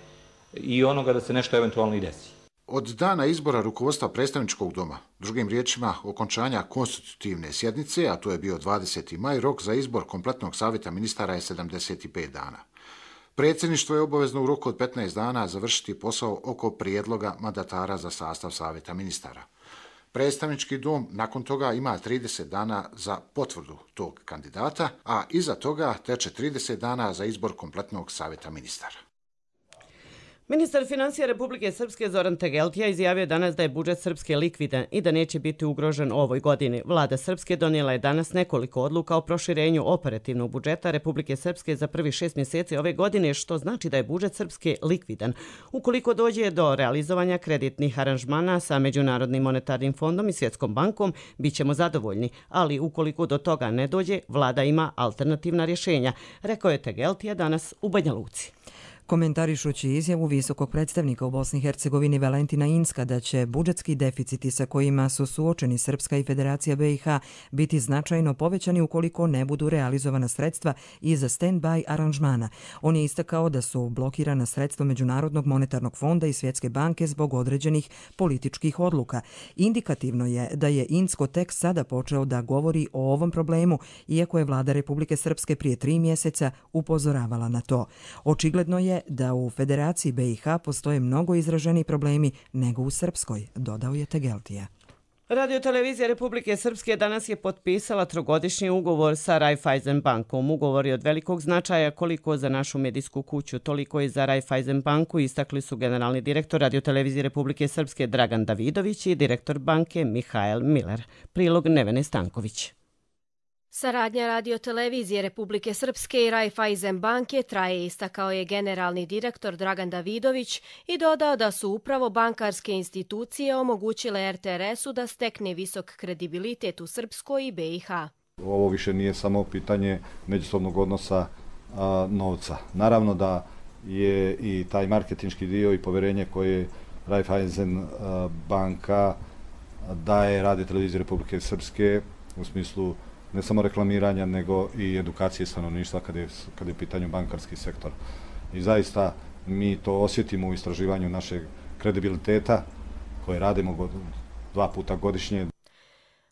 i onoga da se nešto eventualno i desi. Od dana izbora rukovodstva predstavničkog doma, drugim riječima okončanja konstitutivne sjednice, a to je bio 20. maj, rok za izbor kompletnog savjeta ministara je 75 dana. Predsjedništvo je obavezno u roku od 15 dana završiti posao oko prijedloga mandatara za sastav savjeta ministara. Predstavnički dom nakon toga ima 30 dana za potvrdu tog kandidata, a iza toga teče 30 dana za izbor kompletnog savjeta ministara. Ministar financija Republike Srpske Zoran Tegeltija izjavio danas da je budžet Srpske likvidan i da neće biti ugrožen ovoj godini. Vlada Srpske donijela je danas nekoliko odluka o proširenju operativnog budžeta Republike Srpske za prvi 6 mjeseci ove godine, što znači da je budžet Srpske likvidan. Ukoliko dođe do realizovanja kreditnih aranžmana sa Međunarodnim monetarnim fondom i Svjetskom bankom, bit ćemo zadovoljni, ali ukoliko do toga ne dođe, vlada ima alternativna rješenja, rekao je Tegeltija danas u Banja Luci. Komentarišući izjavu visokog predstavnika u Bosni i Hercegovini Valentina Inska da će budžetski deficiti sa kojima su suočeni Srpska i Federacija BiH biti značajno povećani ukoliko ne budu realizovana sredstva iza stand-by aranžmana. On je istakao da su blokirana sredstva Međunarodnog monetarnog fonda i Svjetske banke zbog određenih političkih odluka. Indikativno je da je Insko tek sada počeo da govori o ovom problemu, iako je vlada Republike Srpske prije 3 mjeseca upozoravala na to. Očigledno je da u Federaciji BiH postoje mnogo izraženiji problemi nego u Srpskoj, dodao je Tegeltija. Radiotelevizija Republike Srpske danas je potpisala 3-godišnji ugovor sa Raiffeisen bankom. Ugovor je od velikog značaja koliko za našu medijsku kuću, toliko i za Raiffeisen banku, istakli su generalni direktor Radiotelevizije Republike Srpske Dragan Davidović i direktor banke Mihael Miller. Prilog Nevene Stanković. Saradnja Radiotelevizije Republike Srpske i Raiffeisen banke traje, istakao je generalni direktor Dragan Davidović i dodao da su upravo bankarske institucije omogućile RTRS-u da stekne visok kredibilitet u Srpskoj i BiH. Ovo više nije samo pitanje međusobnog odnosa novca. Naravno da je i taj marketinški dio i poverenje koje Raiffeisen banka daje Radioteleviziji Republike Srpske u smislu ne samo reklamiranja, nego i edukacije stanovništva kada je u pitanju bankarski sektor. I zaista mi to osjetimo u istraživanju našeg kredibiliteta koje radimo 2 puta godišnje.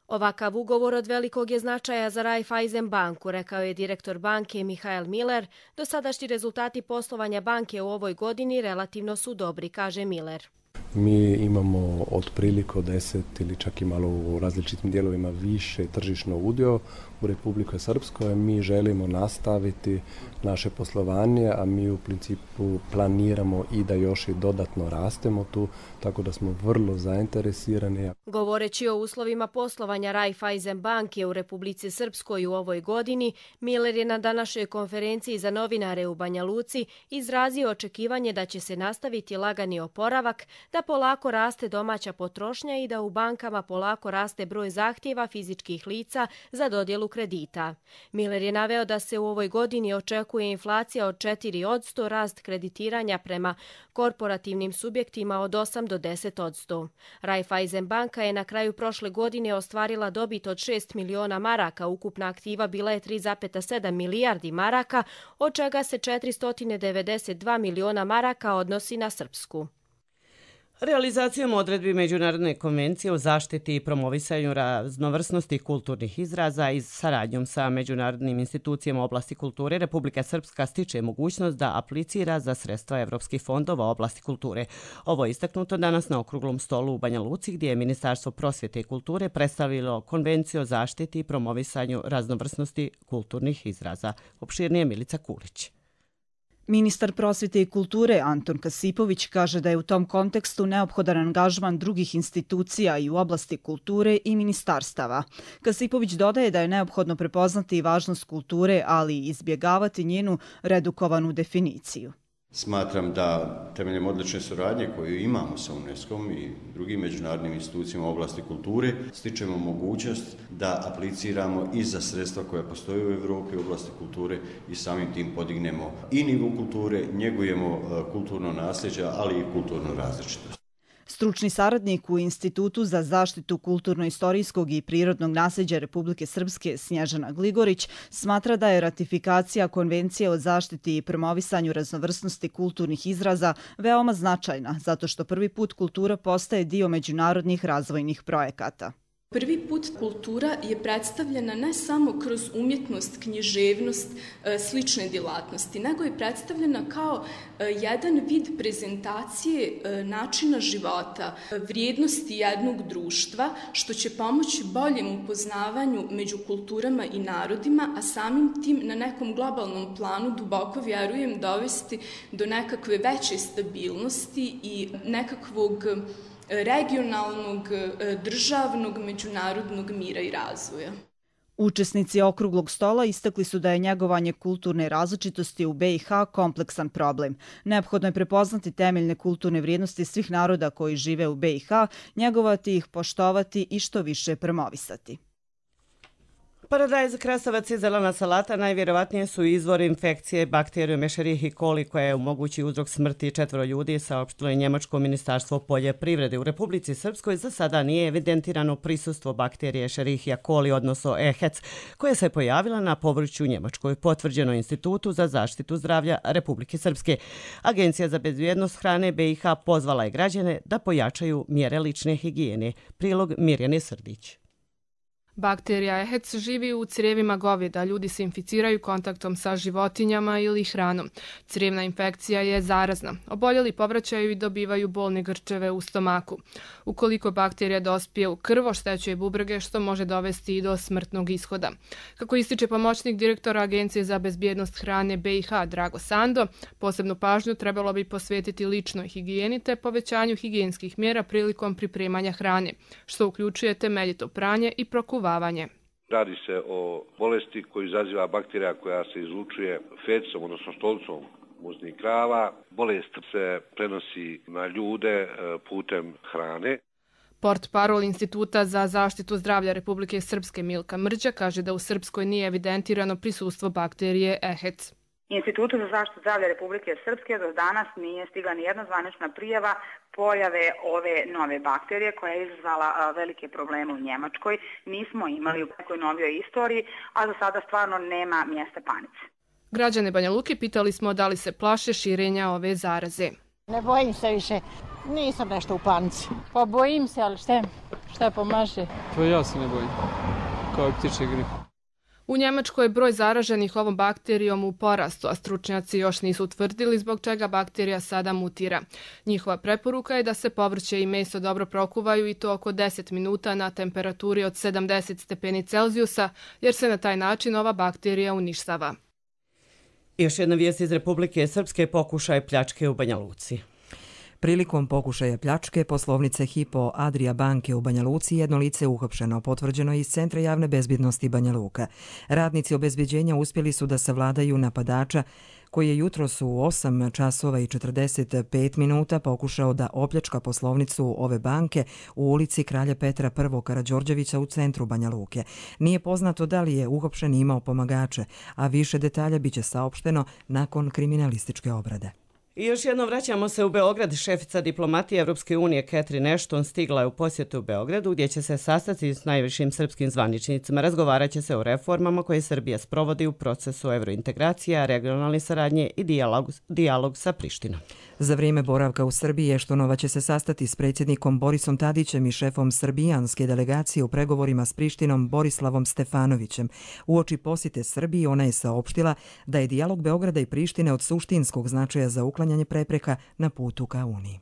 Ovakav ugovor od velikog je značaja za Raiffeisen banku, rekao je direktor banke Mihael Miller. Dosadašnji rezultati poslovanja banke u ovoj godini relativno su dobri, kaže Miller. Mi imamo otprilike 10 ili čak i malo u različitim dijelovima više tržišno udio u Republike Srpskoj. Mi želimo nastaviti naše poslovanje, a mi u principu planiramo i da još i dodatno rastemo tu, tako da smo vrlo zainteresirani. Govoreći o uslovima poslovanja Raiffeisen banke u Republici Srpskoj u ovoj godini, Miller je na današnjoj konferenciji za novinare u Banja Luci izrazio očekivanje da će se nastaviti lagani oporavak, da polako raste domaća potrošnja i da u bankama polako raste broj zahtjeva fizičkih lica za dodjelu kredita. Miller je naveo da se u ovoj godini očekuje inflacija od 4%, rast kreditiranja prema korporativnim subjektima od 8 do 10%. Raiffeisen banka je na kraju prošle godine ostvarila dobit od 6 miliona maraka, ukupna aktiva bila je 3,7 milijardi maraka, od čega se 492 miliona maraka odnosi na Srpsku. Realizacijom odredbi Međunarodne konvencije o zaštiti i promovisanju raznovrsnosti kulturnih izraza i saradnjom sa međunarodnim institucijama oblasti kulture, Republika Srpska stiče mogućnost da aplicira za sredstva evropskih fondova oblasti kulture. Ovo je istaknuto danas na okruglom stolu u Banja Luci, gdje je Ministarstvo prosvjete i kulture predstavilo Konvenciju o zaštiti i promovisanju raznovrsnosti kulturnih izraza. Opširnije Milica Kulić. Ministar prosvjete i kulture Anton Kasipović kaže da je u tom kontekstu neophodan angažman drugih institucija i u oblasti kulture i ministarstava. Kasipović dodaje da je neophodno prepoznati i važnost kulture, ali i izbjegavati njenu redukovanu definiciju. Smatram da temeljem odlične suradnje koju imamo sa UNESCO-om i drugim međunarodnim institucijama u oblasti kulture stičemo mogućnost da apliciramo i za sredstva koja postoje u Evropi u oblasti kulture i samim tim podignemo i nivo kulture, njegujemo kulturno nasljeđe, ali i kulturnu različitost. Stručni saradnik u Institutu za zaštitu kulturno-istorijskog i prirodnog nasljeđa Republike Srpske Snježana Gligorić smatra da je ratifikacija Konvencije o zaštiti i promovisanju raznovrsnosti kulturnih izraza veoma značajna, zato što prvi put kultura postaje dio međunarodnih razvojnih projekata. Prvi put kultura je predstavljena ne samo kroz umjetnost, književnost, slične djelatnosti, nego je predstavljena kao jedan vid prezentacije načina života, vrijednosti jednog društva, što će pomoći boljem upoznavanju među kulturama i narodima, a samim tim na nekom globalnom planu duboko vjerujem dovesti do nekakve veće stabilnosti i nekakvog regionalnog, državnog, međunarodnog mira i razvoja. Učesnici okruglog stola istakli su da je njegovanje kulturne različitosti u BiH kompleksan problem. Neophodno je prepoznati temeljne kulturne vrijednosti svih naroda koji žive u BiH, njegovati ih, poštovati i što više promovisati. Paradajz, krastavac i zelena salata najvjerovatnije su izvor infekcije bakterijom Escherichia coli koja je mogući uzrok smrti 4 ljudi, saopštilo je Njemačko ministarstvo poljoprivrede. U Republici Srpskoj za sada nije evidentirano prisustvo bakterije Escherichia coli, odnosno EHEC, koja se pojavila na povrću Njemačkoj, potvrđeno Institutu za zaštitu zdravlja Republike Srpske. Agencija za bezbjednost hrane BiH pozvala je građane da pojačaju mjere lične higijene. Prilog Mirjane Srdić. Bakterija EHEC živi u crijevima goveda. Ljudi se inficiraju kontaktom sa životinjama ili hranom. Crijevna infekcija je zarazna. Oboljeli povraćaju i dobivaju bolne grčeve u stomaku. Ukoliko bakterija dospije u krv, oštećuje bubrege, što može dovesti i do smrtnog ishoda. Kako ističe pomoćnik direktora Agencije za bezbjednost hrane BiH Drago Sando, posebnu pažnju trebalo bi posvetiti ličnoj higijeni te povećanju higijenskih mjera prilikom pripremanja hrane, što uključuje temeljito pranje i prokuvanje. Radi se o bolesti koju izaziva bakterija koja se izlučuje fecom, odnosno stolicom muznih krava. Bolest se prenosi na ljude putem hrane. Portparol Instituta za zaštitu zdravlja Republike Srpske Milka Mrđa kaže da u Srpskoj nije evidentirano prisustvo bakterije EHEC. Institutu za zaštitu zdravlja Republike Srpske do danas nije stigla ni jedna zvanična prijava pojave ove nove bakterije koja je izazvala velike probleme u Njemačkoj. Nismo imali u nekoj novijoj istoriji, a za sada stvarno nema mjesta panici. Građane Banja Luke pitali smo da li se plaše širenja ove zaraze. Ne bojim se više, nisam nešto u panici. Pa bojim se, ali šta pomaže? Pa ja se ne bojim, kao i ptičje gripe. U Njemačkoj je broj zaraženih ovom bakterijom u porastu, a stručnjaci još nisu utvrdili zbog čega bakterija sada mutira. Njihova preporuka je da se povrće i meso dobro prokuvaju i to oko 10 minuta na temperaturi od 70 stepeni Celzijusa, jer se na taj način ova bakterija uništava. Još jedna vijest iz Republike Srpske, pokušaj pljačke u Banja Luci. Prilikom pokušaja pljačke poslovnice Hypo Adria banke u Banja Luci jedno lice uhapšeno, potvrđeno iz Centra javne bezbjednosti Banja Luka. Radnici obezbeđenja uspjeli su da savladaju napadača koji je jutros u 8 časova i 45 minuta pokušao da opljačka poslovnicu ove banke u ulici Kralja Petra I. Karađorđevića u centru Banja Luke. Nije poznato da li je uhapšen imao pomagače, a više detalja biće saopšteno nakon kriminalističke obrade. I još jedno vraćamo se u Beograd. Šefica diplomatije Evropske unije Catherine Ashton stigla je u posjetu u Beogradu gdje će se sastati s najvišim srpskim zvaničnicima. Razgovarat će se o reformama koje Srbija sprovodi u procesu evrointegracija, regionalne saradnje i dijalog sa Prištinom. Za vrijeme boravka u Srbiji Eštonova će se sastati s predsjednikom Borisom Tadićem i šefom srbijanske delegacije u pregovorima s Prištinom Borislavom Stefanovićem. Uoči posjete Srbiji ona je saopštila da je dijalog Beograda i Prištine od suštinskog značaja za uklanjanje prepreka na putu ka Uniji.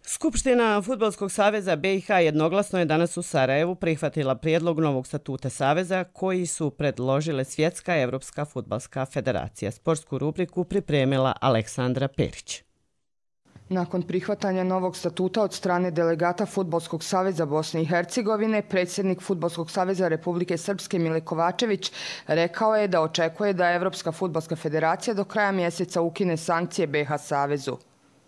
Skupština Fudbalskog saveza BiH jednoglasno je danas u Sarajevu prihvatila prijedlog novog statuta saveza koji su predložile Svjetska Evropska fudbalska federacija. Sportsku rubriku pripremila Aleksandra Perić. Nakon prihvatanja novog statuta od strane delegata Fudbalskog saveza Bosne i Hercegovine, predsjednik Fudbalskog saveza Republike Srpske Mile Kovačević rekao je da očekuje da Evropska fudbalska federacija do kraja mjeseca ukine sankcije BiH savezu.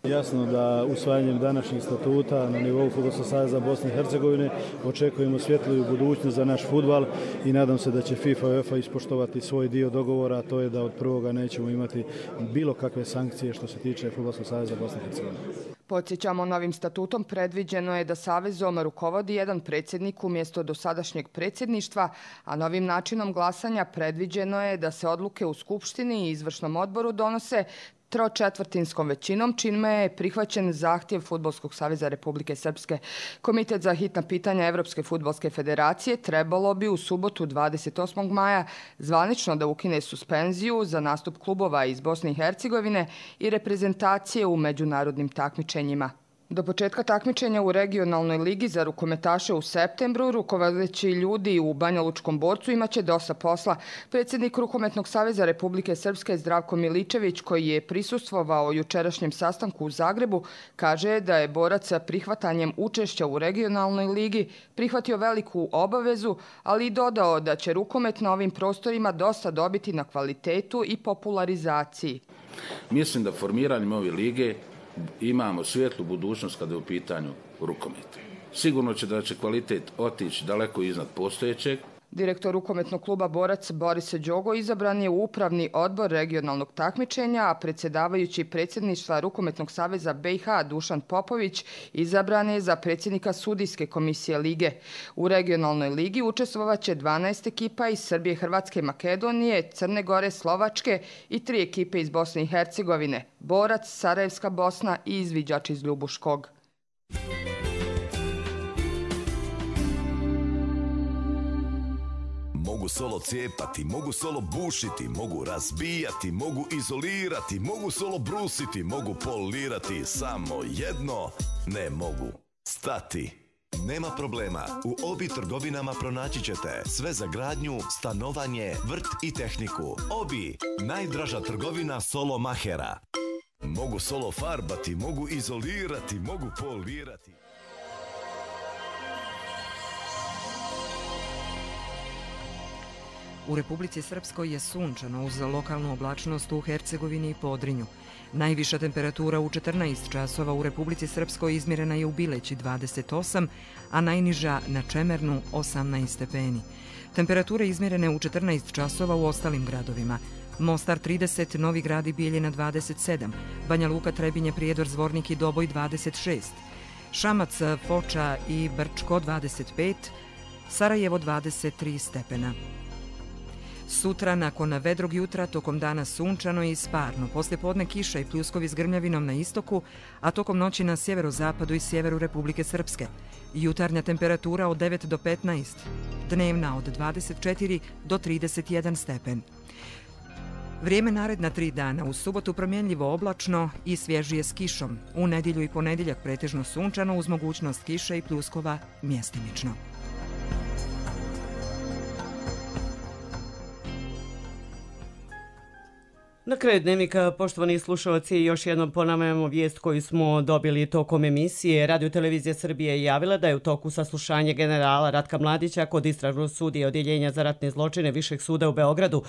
Jasno da usvajanjem današnjih statuta na nivou Fudbalskog saveza Bosne i Hercegovine očekujemo svjetliju budućnost za naš fudbal i nadam se da će FIFA i UEFA ispoštovati svoj dio dogovora, a to je da od prvoga nećemo imati bilo kakve sankcije što se tiče Fudbalskog saveza Bosne i Hercegovine. Podsjećamo, novim statutom predviđeno je da savezom rukovodi jedan predsjednik umjesto dosadašnjeg predsjedništva, a novim načinom glasanja predviđeno je da se odluke u Skupštini i izvršnom odboru donose tročetvrtinskom većinom, čime je prihvaćen zahtjev Fudbalskog saveza Republike Srpske. Komitet za hitna pitanja Evropske fudbalske federacije trebalo bi u subotu 28. maja zvanično da ukine suspenziju za nastup klubova iz Bosne i Hercegovine i reprezentacije u međunarodnim takmičenjima. Do početka takmičenja u regionalnoj ligi za rukometaše u septembru, rukovodeći ljudi u Banja Lučkom Borcu imaće dosta posla. Predsjednik Rukometnog saveza Republike Srpske Zdravko Miličević, koji je prisustvovao jučerašnjem sastanku u Zagrebu, kaže da je Borac sa prihvatanjem učešća u regionalnoj ligi prihvatio veliku obavezu, ali i dodao da će rukomet na ovim prostorima dosta dobiti na kvalitetu i popularizaciji. Mislim da formiranjem ove lige imamo svijetlu budućnost kada je u pitanju rukometa. Sigurno će da će kvalitet otići daleko iznad postojećeg. Direktor rukometnog kluba Borac Boris Đogo izabran je u upravni odbor regionalnog takmičenja, a predsjedavajući predsjedništva Rukometnog saveza BiH Dušan Popović izabran je za predsjednika sudijske komisije lige. U regionalnoj ligi učestvovaće 12 ekipa iz Srbije, Hrvatske, Makedonije, Crne Gore, Slovačke i 3 ekipe iz Bosne i Hercegovine, Borac, Sarajevska Bosna i izviđač iz Ljubuškog. Mogu solo cijepati, mogu solo bušiti, mogu razbijati, mogu izolirati, mogu solo brusiti, mogu polirati, samo jedno ne mogu stati. Nema problema, u Obi trgovinama pronaći ćete sve za gradnju, stanovanje, vrt i tehniku. Obi, najdraža trgovina solo mahera. Mogu solo farbati, mogu izolirati, mogu polirati. U Republici Srpskoj je sunčano uz lokalnu oblačnost u Hercegovini i Podrinju. Najviša temperatura u 14 časova u Republici Srpskoj izmjerena je u Bileći 28, a najniža na Čemernu 18 stepeni. Temperature izmjerene u 14 časova u ostalim gradovima. Mostar 30, Novi Grad i Bijeljina 27, Banja Luka, Trebinje, Prijedor, Zvornik i Doboj 26, Šamac, Foča i Brčko 25, Sarajevo 23 stepena. Sutra, nakon vedrog jutra, tokom dana sunčano i sparno. Poslije podne kiša i pljuskovi s grmljavinom na istoku, a tokom noći na sjeverozapadu i sjeveru Republike Srpske. Jutarnja temperatura od 9 do 15, dnevna od 24 do 31 stepen. Vrijeme naredna 3 dana, u subotu promjenljivo oblačno i svježije s kišom. U nedjelju i ponedjeljak pretežno sunčano uz mogućnost kiše i pljuskova mjestimično. Na kraju dnevnika, poštovani slušalci, još jednom ponavljamo vijest koju smo dobili tokom emisije. Radio Televizija Srbije je javila da je u toku saslušanje generala Ratka Mladića kod istražnog sudije Odjeljenja za ratne zločine Višeg suda u Beogradu.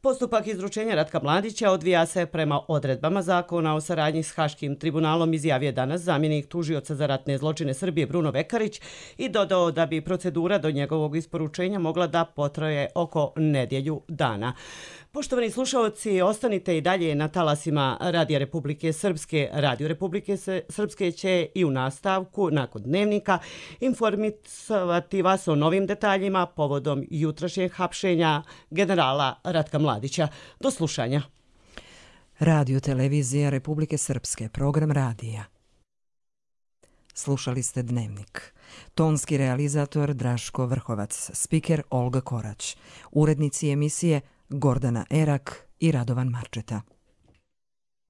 Postupak izručenja Ratka Mladića odvija se prema odredbama zakona o saradnji s Haškim tribunalom, izjavio danas zamjenik tužioca za ratne zločine Srbije Bruno Vekarić i dodao da bi procedura do njegovog isporučenja mogla da potraje oko nedjelju dana. Poštovani slušalci, ostanite i dalje na talasima Radija Republike Srpske. Radio Republike Srpske će i u nastavku, nakon dnevnika, informisati vas o novim detaljima povodom jutrašnjeg hapšenja generala Ratka Mladića. Do slušanja. Radio Televizija Republike Srpske, program radija. Slušali ste Dnevnik. Tonski realizator Draško Vrhovac, spiker Olga Korać, urednici emisije Gordana Erak i Radovan Marčeta.